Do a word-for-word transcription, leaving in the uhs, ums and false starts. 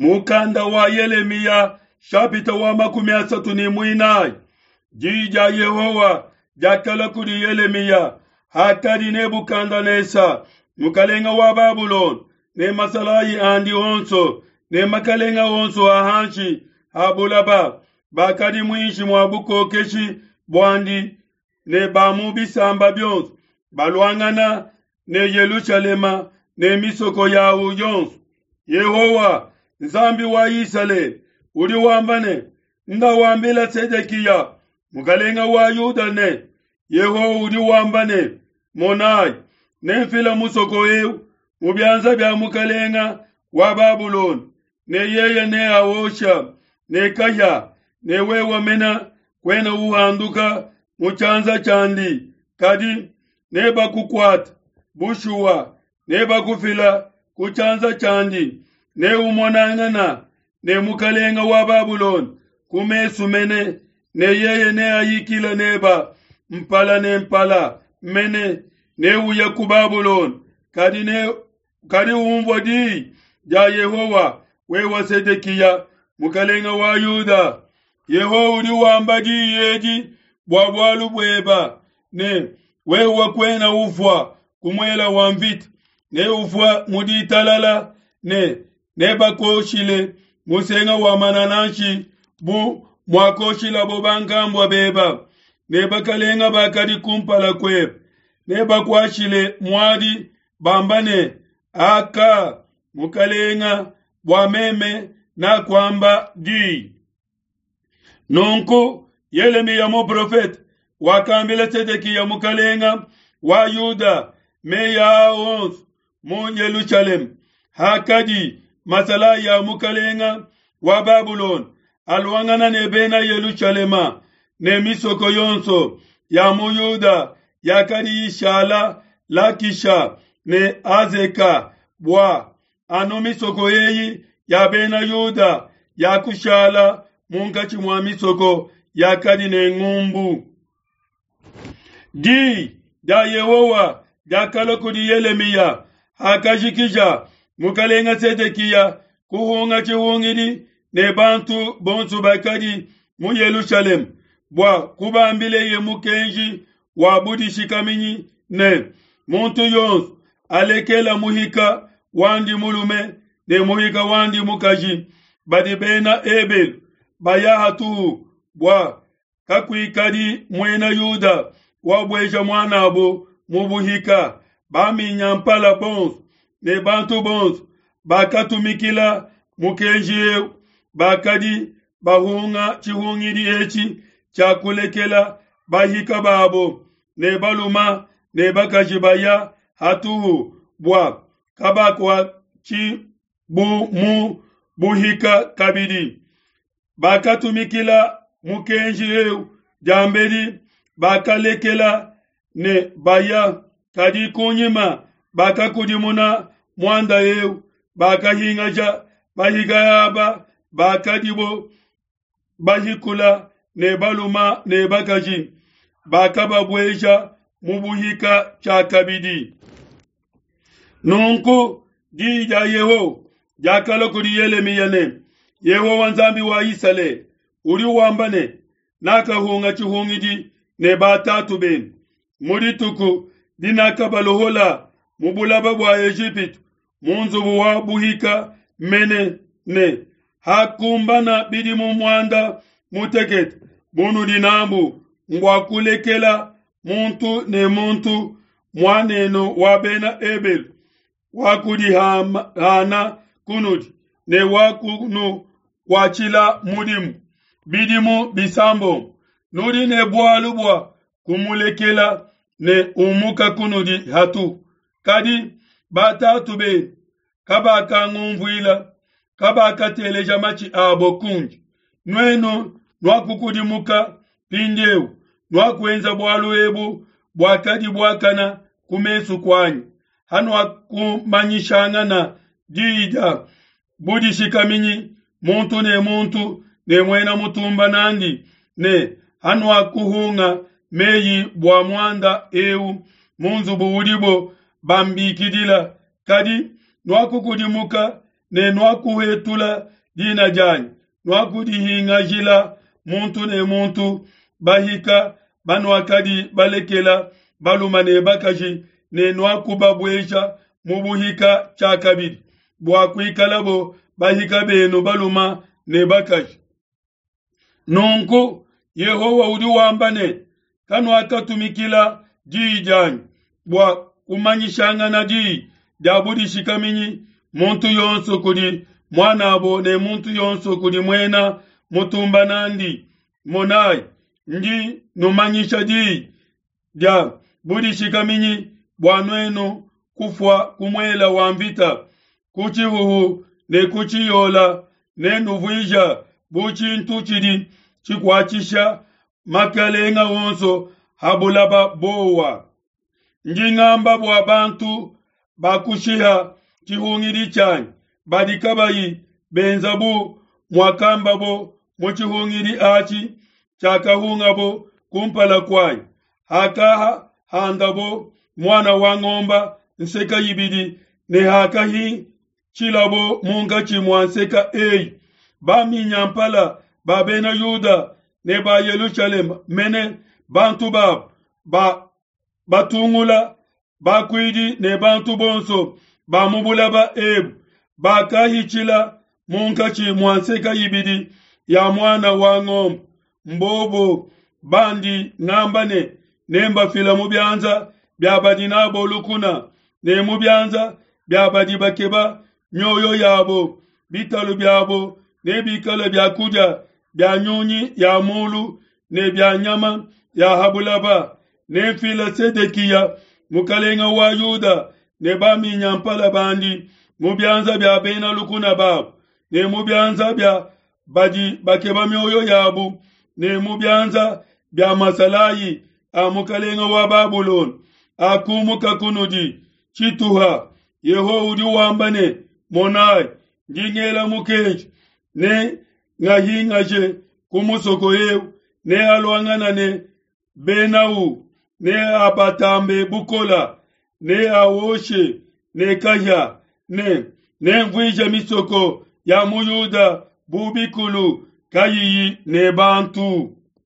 Mukanda wa Yelemiya shapita wa makumi asatu ne muinayi. Diyi dia Yehowa diakalua kudi Yelemiya hakadi Nebukadnesa mukalenga wa Babulona ne masalayi andi onso ne makalenga onso a hanshi ha bulaba bakadi muinshi mua bukokeshi buandi ne ba mu bisamba bionso baluangana ne Yelushalema ne misoko yawu yonso. Yehowa Nzambi wa Isalele udi wamba ne, nda wambila Sedekiya mukalenga wa Yuda ne, Yehowa udi wamba ne, monayi, nemfila musoko eu mu bianza bia mukalenga wa Babulona, ne yeye neawosha ne kahia, ne wewe mena kuena uhanduka mu tshianza tshiandi, kadi nebakukuate bushuwa, nebakufila ku tshianza tshiandi, neumonangana ne mukalenga wa Babulona ku mesu mene, ne yeye neayikile neba mpala ne mpala mene, neuye ku Babulona, kadi ne kadi umvua diyi dia Yehowa, wewe Sedekiya mukalenga wa Yuda. Yehowa udi wamba diyi edi bua bualu bueba ne wewe kuena ufua ku muela wa mvita, ne ufua mu ditalala, ne nebakoshile musenga wa manananshi bu muakoshilabo bankambua beba ne bakalenga bakadi kumpala kuebe, nebakuashile muadi bamba ne, aka mukalenga, bua meme nakuamba diyi. Nunku Yelemiya muprofete wakambila Sedekiya mukalenga wa Yuda meyi aa onso mu Yelushalema hakadi masalayi a mukalenga wa Babulona aluangana ne bena Yelushalema ne misoko yonso ya mu Yuda yakadi ishala Lakisha ne Azeka, bua anu misoko eyi ya bena Yuda yakushala munkatshi mua misoko yakadi ne ngumbu. Diyi dia Yehowa diakalua kudi Yelemiya hakajikija mukalenga Sedekiya kuhunga tshihungidi ne bantu bonso bakadi mu Yelushalema bua kubambileye mukenji wa budishikaminyi ne, muntu yonso alekela muhika wandi mulume ne muhika wandi mukaji badi bena Ebelu baya hatuhu, bua kakuikadi muena Yuda wabueja muanabo mu buhika. Baminyampala bonso ne bantu bonso bakatumikila mukenji eu, bakadi bahunga tshihungidi etshi tshia kulekela bahika babo ne baluma ne bakaji baya hatuhu, bua kabakuatshibu mu buhika kabidi. Bakatumikila mukenji eu diambedi, bakalekela ne baya, kadi kunyima bakakudimuna muanda eu, bakahingaja bahika aba bakadibo bahikula ne baluma ne bakaji, bakababueja mu buhika tshiakabidi. Nunku diyi dia Yehowa diakalua kudi Yelemiya ne, Yehowa Nzambi wa Isalele udi wamba ne, nakahunga tshihungidi ne batatu benu mu dituku dinakabalohola mu bulaba bua Ejipitu mu nzubu wa buhika mene ne, hakumbana bidimu muanda mutekete bunudi nabu mbua kulekela muntu ne muntu muanenu wa bena Ebelu wakudihana kunudi ne wakunukuatshila mudimu bidimu bisambombo. Nudi ne bualu bua kumulekela ne umuka kunudi hatu. Kadi batatu benu kabakangumvuila, kabakateleja matshi abo kundi. Nuenu nuakukudimuka mpindieu, nuakuenza bualu ebu buakadi buakana ku mesu kuanyi, hanuakumanyishangana diyi dia budishikaminyi muntu ne muntu ne muena mutumba nandi, ne hanuakuhunga meyi bua muanda eu mu nzubu udibo bambikidila. Kadi nuakukudimuka ne nuakuhetula dina dianyi, nuakudihingajila muntu ne muntu bahika banuakadi balekela balume ne bakaji ne nuakubabueja mu buhika tshiakabidi bua kuikalabo bahika benu balume ne bakaji. Nunku Yehowa udi wamba ne, kanuakatumikila diyi dianyi bua kumanyishangana diyi dia budishikaminyi muntu yonso kudi muanabo ne muntu yonso kudi muena mutumba nandi. Monayi, ndi numanyisha diyi dia budishikaminyi bua nuenu kufua ku muela wa mvita, ku tshihuhu ne ku tshiyola, ne nuvuija bu tshintu tshidi tshikuatshisha makalenga onso ha bulaba bowa. Ndi ngamba bua bantu bakushiha tshihungidi tshianyi, badi kabayi benza bu muakambabo mu tshihungidi atshi tshiakahungabo kumpala kuanyi, hakahandabo muana wa ngomba nseka ibidi ne hakahitshilabo munkatshi mua nseka eyi. Baminyampala ba bena Yuda ne ba Yelushalema mene bantu babo ba batungula bakuidi ne bantu bonso ba mu bulaba ebu bakahitshila munkatshi mua nseka ibidi ya muana wa ngombe. Mbobo bandi ngamba ne nembafila mu bianza bia badi nabo lukuna ne mu bianza bia badi bakeba mioyo yabo. Bitalu biabo nebikale biakudia bia nyunyi ya mulu ne bia nyama ya ha bulaba. Nemfile Sedekiya mukalenga wa Yuda ne baminyampala bandi mu bianza bia bena lukuna babo ne mu bianza bia badi bakeba mioyo yabo ne mu bianza bia masalayi a mukalenga wa Babulona akumuka kunudi tshituha. Yehowa udi wamba ne, monayi, ndi ngela mukenji ne ngahingaje ku musoko eu, ne aluangana ne benau, ne abatambe bukola, ne awoshe ne kahia, ne nemvuije misoko ya mu Yuda bu bikulu kayiyi ne bantu.